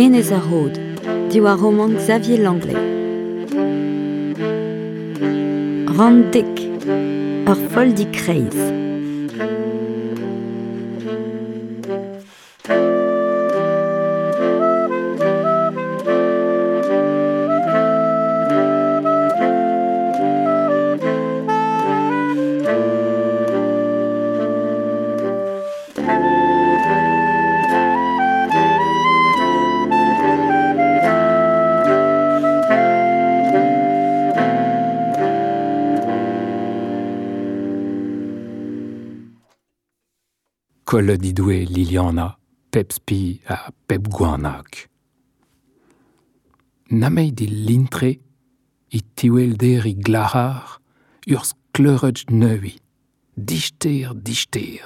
Enez ar Rod, diwar romant Xavier Langlais. Rann dek, ur folldi kreiz. Kollet he doe Liliana pep spi ha pep goanag. Nameit e lintre e tiwelder e glac'har ur skleuret neuiñ, dister dister.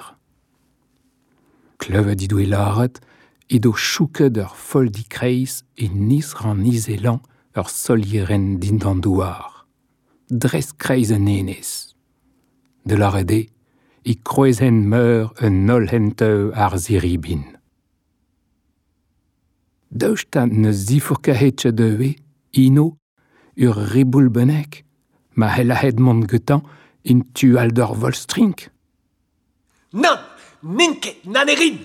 Klevet he doe lâret edo chouket ur folldi kreiz e niz ran izelan ur solierenn dindan douar. Dres kreiz un enez. De lâret eo e kroazenn meur un holl henteu ar ziribin. Daoust ha ne zifourkahet ket ivez, ino, ur riboul bennak, ma c'hellahet mont gantañ en tu all d'ur volstrink? Nann, n'in ket, na ne rin!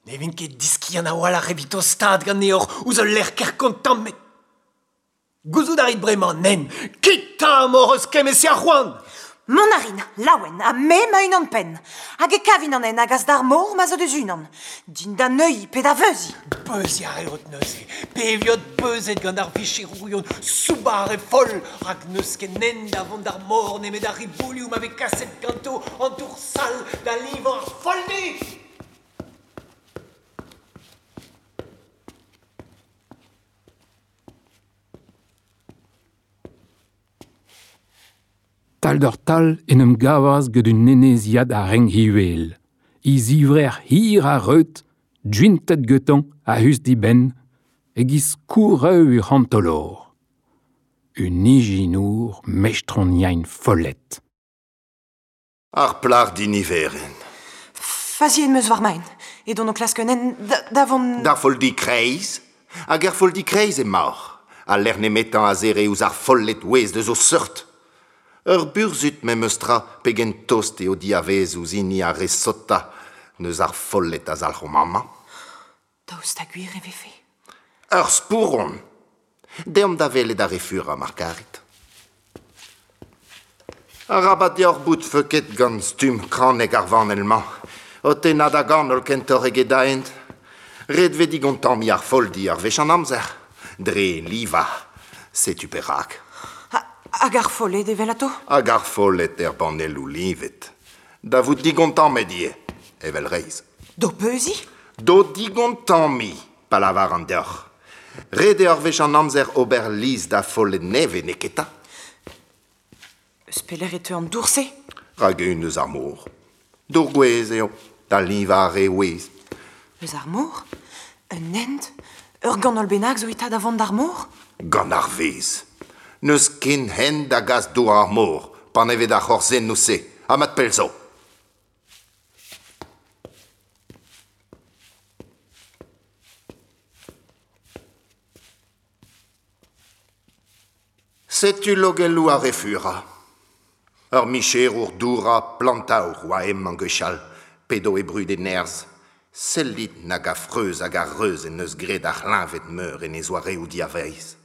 Ne vin ket diskiant a-walc'h evit tostaat ganeoc'h ouzh ul lec'h ker kontammet. Gouzout a rit bremañ, nen, kit 'ta m'hoc'h eus kement-se a c'hoant! Mont a rin, laouen, ha me ma-unan-penn. Hag e kavin an hent a gas d'ar mor ma zo deus unan. Din da neuiñ pe da veuziñ. Beuziñ a reot neuze, pe e viot beuzet gant ar vicherourion soubar e foll, rak n'eus ket hent da vont d'ar mor nemet ar riboulioù ma vez kaset ganto an dour sall da livañ ar folldi! Tal-doc'h-tal en em gavas gant un eneziad a renk uhel, e zivrec'h hir ha reut, gwintet gantañ a-us d'e benn, e-giz skourreù ur c'hantolor. Un ijinour mestroniañ follet. Ar plac'h diniverenn. Faziet 'm eus war ma hent. Edon o klask un hent da vont... D'ar folldi kreiz. Hag er folldi kreiz emaoc'h. Al lec'h nemetañ a zere ouzh ar folled ouez deus o seurt. Ur burzhud memes tra pegen tost eo diavez ouzh hini ar re sotañ neus ar folled a zalc'homp amañ. Daoust ha gwir e vefe? Ur spouron! Deomp da welet ar re furañ, mar karit. Arabat deoc'h bout feuket gant stumm kranek ar vanell-mañ, o tennañ da ganol kentoc'h eget da hent. Ret 'vez digontammiñ ar folldi ur wech an amzer, dre livañ. Setu perak. Hag ar folled evelato? Hag ar folled er banelloù livet. Da vout digontammet ivez, evel reizh. D'ho peuziñ? D'ho digontammiñ, pa lavaran deoc'h. Ret eo ur wech an amzer ober liz da folled nevez, neketa? Eus pelec'h e teu an dour-se? Rak-eeun eus ar mor. Dour gouez eo, da livañ ar re ouez. Eus ar mor? Un hent? Ur ganol bennak zo eta da vont d'ar mor? Gant ar vezh. N'eus ken hent da gas dour ar mor, panevet ar c'horzennoù-se, ha mat pell zo. Setu logelloù ar re furañ. Ur micherour dourañ plantaour oa hemañ gwechall, p'edo e brud e nerzh. Sellit nag a freuz hag a reuz en deus graet ar c'hleñved meur en e zoareoù diavaez.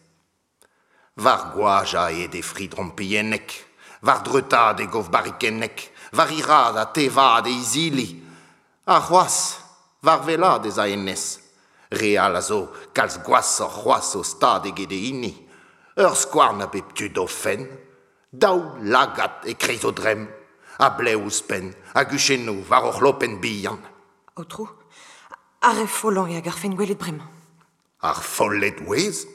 War goajañ eo e fri drompilhennek, war dreutaat e gof barrikennek, war hiraat ha tevaat e izili. Ha c'hoazh, war wellaat ez a hennezh. Re all a zo kalz gwashoc'h c'hoazh o stad eget e hini. Ur skouarn a bep tu d'o fenn, daou lagad e-kreiz o dremm, ha blev ouzhpenn, ha guchennoù war o c'hlopenn bihan. Aotrou, ar re follañ eo a garfen gwelet bremañ. Ar folled ouez?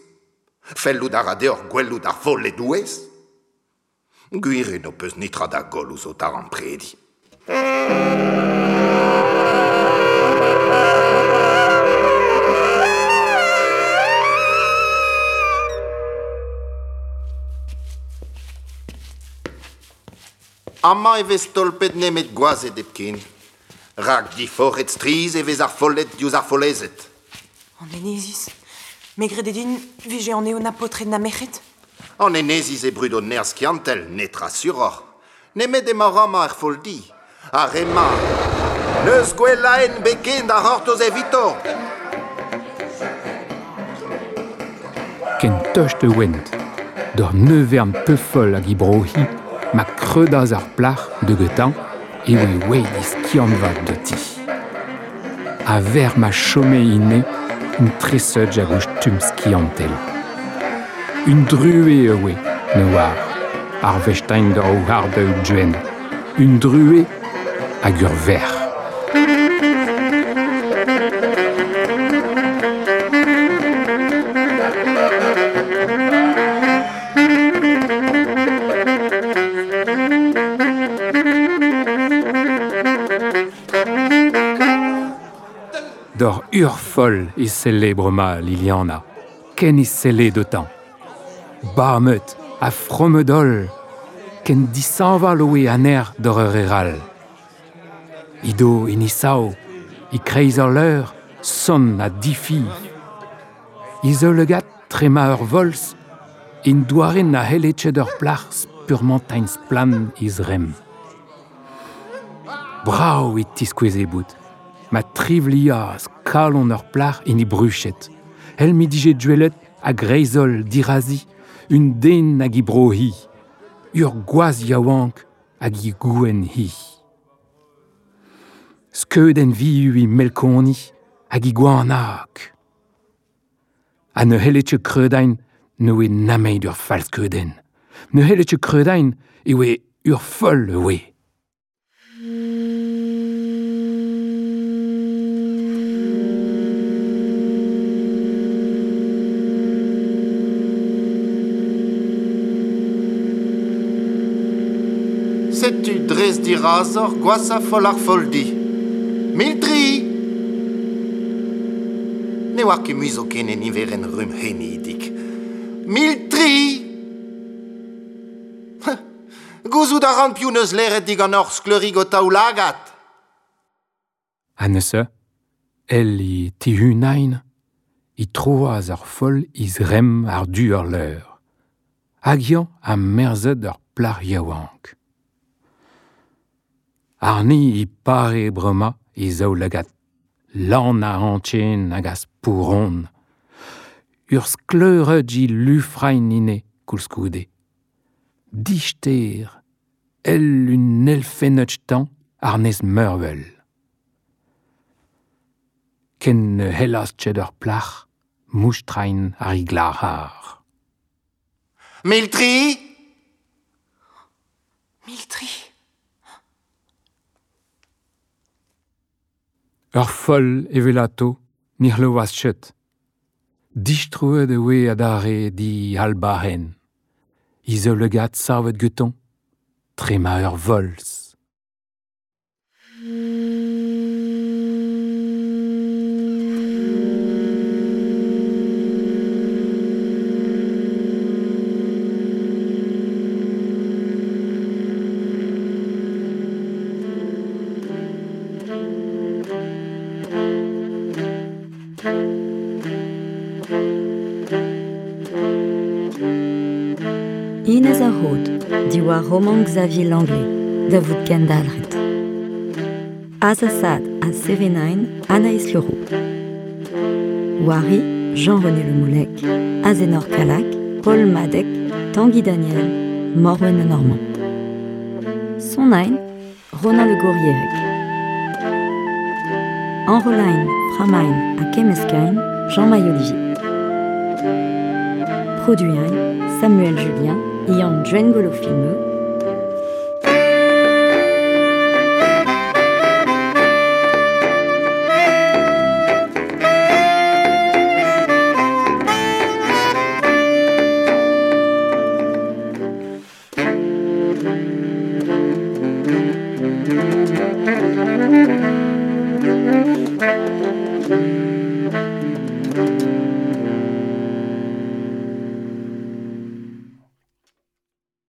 Fellout a ra deoc'h gwelout ar folled ouez? Gwir eo n'ho peus netra da goll ouzh ho taremprediñ. Amañ e vez tolpet nemet gwazed hepken, rak diforc'het strizh e vez ar folled diouzh ar follezed. An eneziz, Me grede din vije an eo na potred na merc'hed. An eneziz e brud o nerz kiantel, netra suroc'h. Nemet emañ amañ er foldi. Ar ema. Neus gwellaen beken da c'hortoz evito. Ken tost e went. D'ur neuvern peufol hag i brohi, ma kreudaz ar plac'h de getan, e oe oe iskianvat de ti. A ver ma chome ine, un treseudj hag ouz tum skiantel. Un drue e oe, ne oar, ar vestein d'ur o hardeu duen. Un drue hag ur ver. D'ur urfol e celebre ma Liliana, ken e selle de temps. Barmeut a fromedol, ken disanval oe aner d'ur ur eral. Ido in isao, i kreiz ar leur, son a difi. Izo legat trema ur volz, in douaren a helechet ur plac'h spurmantain splan iz rem. Brao e tiskoueze bout, ma trivliaz kalon ur plac'h in i bruchet. El mi dije duelet a greizol dirazi, un den hag i brohi, ur gwaz yaouank hag i gouen hi. Skeuden viu i melkoni hag i gwanak. Ha ne hellet ket kreudain ne oe nameid ur falskeuden. Ne hellet ket kreudain e oe ur foll e oe. Setu drez dirazor gwasa foll ar foldi. Miltri! Ne oar ket mui zo ken en iveren rum henidik. Miltri! Gouzout a ran piv neus leret digant hor skleurig o taoulagad. Ha neuze, el i tihunain, i troaz ar foll iz rem ar du ur leur. Hag yañ a merzet ur plac'h yaouank. Arni i pare brema i zaoulagat lan a antien hag a spouron. Ur skleureud i lufrain ine koulskoude. Dichter, el un elfenneud tan ar nez meurvel. Ken ne hellaz tched ur plac'h, moustrain ar i glahar. Miltri! Miltri. Ur foll evelato, nirlovaz chet. Distrouet e oe adare di albahen. Izo legat savet geton, trema ur volz. Inez ar Rod, diwar roman Xavier Langlais, da vout kendalret. Azasad a Sevenain, Anaïs Leroux. Wari, Jean-René Le Moulec, Azenor Kalak, Paul Madec, Tanguy Daniel, Morwen Le Normand. Sonain, Ronan Le Gourierec. Enrolain, Framain a Kemeskein, Jean-Maï Olivier. Produit Samuel Julien, Ian Djengolo Filmeux,